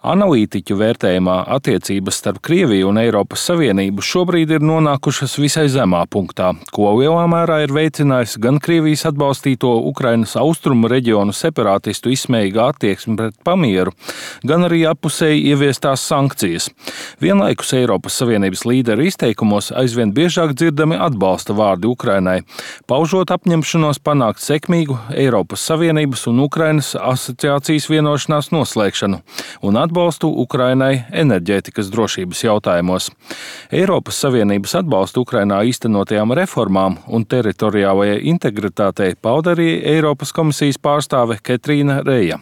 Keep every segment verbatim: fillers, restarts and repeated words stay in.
Analītiķu vērtējumā attiecības starp Krieviju un Eiropas Savienību šobrīd ir nonākušas visai zemā punktā, ko lielā mērā ir veicinājis gan Krievijas atbalstīto Ukrainas austrumu reģionu separātistu izsmējīgā attieksme pret pamieru, gan arī appusēji ieviestās sankcijas. Vienlaikus Eiropas Savienības līderu izteikumos aizvien biežāk dzirdami atbalsta vārdi Ukrainai, paužot apņemšanos panākt sekmīgu Eiropas Savienības un Ukrainas asociācijas vienošanās noslēgšanu un atbalstu Ukrainai enerģētikas drošības jautājumos. Eiropas Savienības atbalstu Ukrainā īstenotajām reformām un teritoriālajai integritātei pauda arī Eiropas komisijas pārstāve Ketrīna Reja.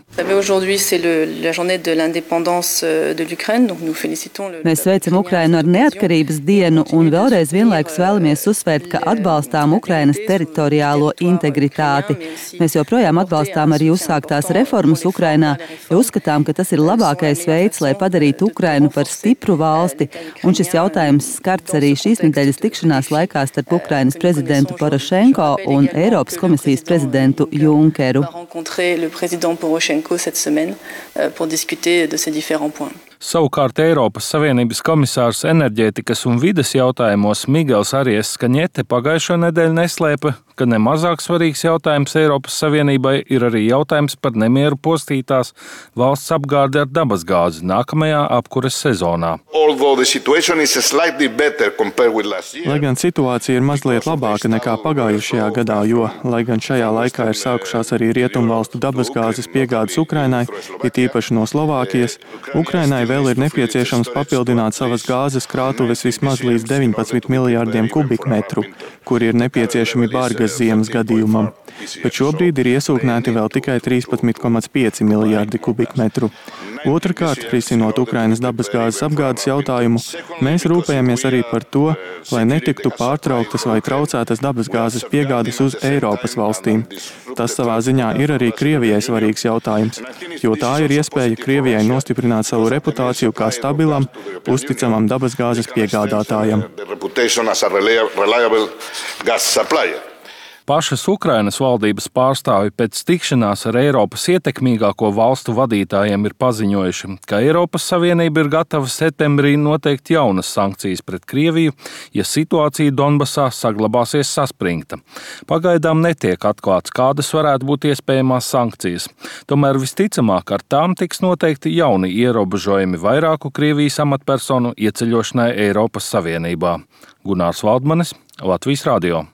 Mēs sveicam Ukrainu ar neatkarības dienu un vēlreiz vienlaikus vēlamies uzsvērt, ka atbalstām Ukrainas teritoriālo integritāti. Mēs joprojām atbalstām arī uzsāktās reformas Ukrainā, jo uzskatām, ka tas ir labākais veids, lai padarītu Ukrainu par stipru valsti, un šis jautājums skarts arī šīs nedēļas tikšanās laikā starp Ukrainas prezidentu Porošenko un Eiropas komisijas prezidentu Junkeru. Savukārt Eiropas Savienības komisārs enerģētikas un vides jautājumos Migels Arias Kaņete pagājušo nedēļu neslēpa, ka nemazāk svarīgs jautājums Eiropas Savienībai ir arī jautājums par nemieru postītās valsts apgādi ar dabasgāzi nākamajā apkures sezonā. Lai gan situācija ir mazliet labāka nekā pagājušajā gadā, jo, lai gan šajā laikā ir sākušās arī rietumvalstu dabasgāzes piegādes Ukrainai, it īpaši no Slovākijas, Ukrainai vēl ir nepieciešams papildināt savas gāzes krātuves vismaz līdz deviņpadsmit miljārdiem kubikmetru, kuri ir nepieciešami bargas ziemas gadījumam, bet šobrīd ir iesūknēti vēl tikai trīspadsmit komats pieci miljārdi kubikmetru. Otrakārt, risinot Ukrainas dabasgāzes apgādes jautājumu, mēs rūpējamies arī par to, lai netiktu pārtrauktas vai traucētas dabasgāzes piegādes uz Eiropas valstīm. Tas savā ziņā ir arī Krievijai svarīgs jautājums, jo tā ir iespēja Krievijai nostiprināt savu reputāciju kā stabilam, uzticamam dabasgāzes piegādātājam. Pašas Ukrainas valdības pārstāvi pēc tikšanās ar Eiropas ietekmīgāko valstu vadītājiem ir paziņojuši, ka Eiropas Savienība ir gatava septembrī noteikt jaunas sankcijas pret Krieviju, ja situācija Donbasā saglabāsies saspringta. Pagaidām netiek atklāts, kādas varētu būt iespējamās sankcijas. Tomēr visticamāk ar tām tiks noteikti jauni ierobežojumi vairāku Krievijas amatpersonu ieceļošanai Eiropas Savienībā. Gunārs Valdmanis, Latvijas radio.